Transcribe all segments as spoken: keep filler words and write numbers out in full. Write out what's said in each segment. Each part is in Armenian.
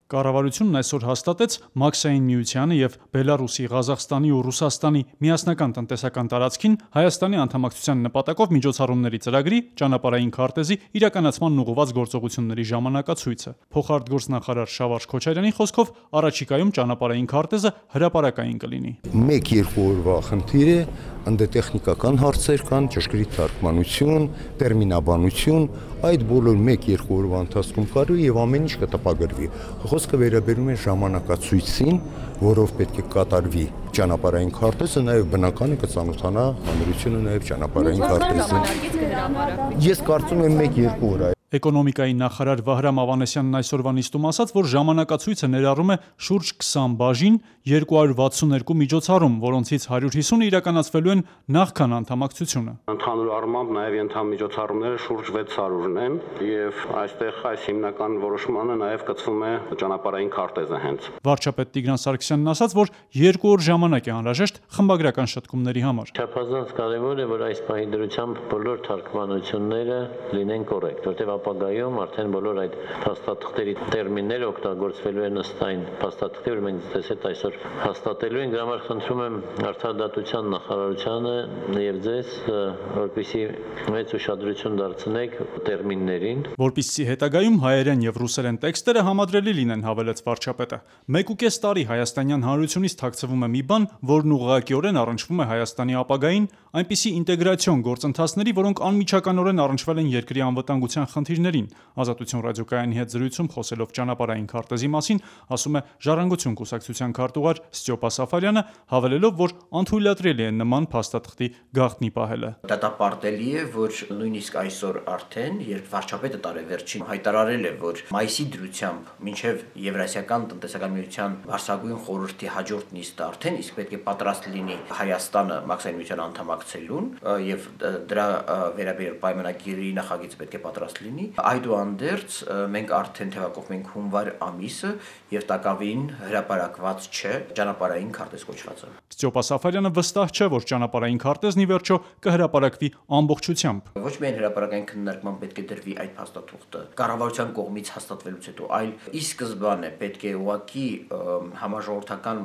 Կառավարությունն այսօր հաստատեց Մաքսային միությանը և Բելարուսի, Ղազախստանի ու Ռուսաստանի միասնական տնտեսական տարածքին Հայաստանի անդամակցության նպատակով միջոցառումների ծրագրի ճանապարհային քարտեզի իրականացմանն ուղղված գործողությունների ժամանակացույցը։ Փոխարտգործնախարար Շավարժ Քոչարյանի խոսքով առաջիկայում ճանապարհային քարտեզը հրապարակային կլինի։ Մեկ-երկու օրվա խնդիր է, ընդ տեխնիկական հարցեր կան, ճշգրիտ թարգմանություն, տերմինաբանություն, այդ բոլոր մեկ-երկու օրվա ընթացքում կարելի եւ ամեն ինչ կտպագրվի։ Խոսքը վերաբերում է ժամանակացույցին, որով պետք է կատարվի ճանապարհային քարտեզը, նաեւ բնական է կծանոթանա հանրությունը նաեւ ճանապարհային քարտեզին։ Ես կարծում եմ մեկ-երկու օր։ Էկոնոմիկայի նախարար Վահրամ Ավանեսյանն այսօրվա նիստում ասաց, որ ժամանակացույցը ներառում է շուրջ քսան բաժին, երկու հարյուր վաթսուն երկու միջոցառում, որոնցից հարյուր հիսունը իրականացվելու են նախքան անդամակցությունը։ Ընդհանուր առմամբ նաև ենթամիջոցառումները շուրջ վեց հարյուրն են, եւ այստեղ այս հիմնական որոշմանը նաև կցվում է ճանապարհային քարտեզը հենց։ Վարչապետ Տիգրան Սարգսյանն ասաց, որ երկու օր ժամանակ է անհրաժեշտ խմբագրական շտկումների համար։ Չափազանց կարևոր է, որ այս պահի դրությամբ բոլոր թարգմանությունները լինեն կոռեկտ, որտեղ ապագայում արդեն բոլոր այդ փաստաթղթերի տերմինները օգտագործվելու են ըստ այն փաստաթղթի, որ մենք դեսետ այսօր հաստատելու ենք։ Դրա համար խնդրում եմ Արդարադատության նախարարությանը եւ ձեզ, որպեսզի մեծ ուշադրություն դարձնեք տերմիններին, որպեսզի հետագայում հայերեն եւ ռուսերեն տեքստերը համադրելի լինեն, հավելեց վարչապետը։ Մեկ ու կես տարի հայաստանյան հանրությունից թաքցվում է մի բան, որն ուղղակիորեն առնչվում է Հայաստանի ապագային, այնպիսի ինտեգրացիոն գործընթացների, որոնք անմիջականորեն առնչվել են երկրի անվտանգության խնդիրներին։ Ազատություն ռադիոկայանի հետ զրույցում խոսելով ճանապարհային քարտեզի մասին, ասում է Ժառանգություն կուսակցության քարտուղար Ստյոպա Սաֆարյանը, հավելելով, որ անթույլատրելի է նման փաստաթղթի գաղտնի պահելը։ Դատապարտելի է, որ նույնիսկ այսօր արդեն, երբ վարչապետը տարեվերջին հայտարարել է, որ մայիսի դրությամբ մինչև Եվրասիական տնտեսական միության վարչագույն խորհրդի հաջորդ նիստը արդեն իսկ պետք է պատրաստ լինի Հայաստանը Մաքսային միության անդամակցելուն եւ դրա վերաբերյալ պայմանագիրի նախագիծը պետք է պատրաստ լինի, այդուհանդերձ մենք արդեն թվակով մենք հունվար ամիսը եւ տակավին հրապարակված չէ ճանապարհային քարտեզ կոչվածը։ Ստյոպա Սաֆարյանը վստահ չէ, որ ճանապարհային քարտեզն ի վերջո կհրապարակվի ամբողջությամբ։ Ոչ միայն հրապարակային քննարկման պետք է դրվի այդ փաստաթուղթը կառավարության կողմից հաստատվելուց հետո, այլ ի սկզբանե պետք է ուղղակի համաժողովրդական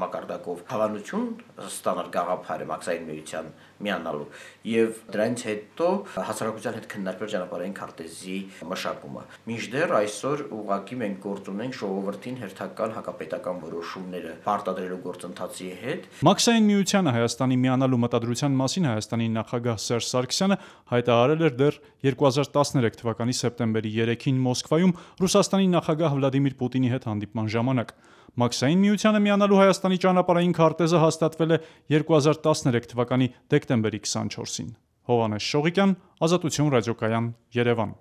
մակարդակով հավանություն ստանալ գաղափարը Մաքսային միության միանալու եւ դրանից հետո հասարակության հետ քննարկվել ճանապարհային քարտեզի մշակումը։ Մինչդեռ այսօր ուղղակի մենք գործ ունենք ժողովրդին հերթական հակապետական որոշումները պարտադրելու գործընթացի հետ։ Մաքսային միությանը Հայաստանի միանալու մտադրության մասին Հայաստանի նախագահ Սերժ Սարգսյանը հայտարարել էր դեռ երկու հազար տասներեք թվականի սեպտեմբերի երեքին Մոսկվայում Ռուսաստանի նախագահ Վլադիմիր Պուտինի հետ հանդիպման ժամանակ։ Մաքսային միությանը միանալու Հայաստանի ճանապարհային քարտեզը հաստատվել է երկու հազար տասներեք թվականի դեկտեմբերի քսանչորսին։ Հովհաննես Շողիկյան, Ազատություն ռադիոկայան, Երևան։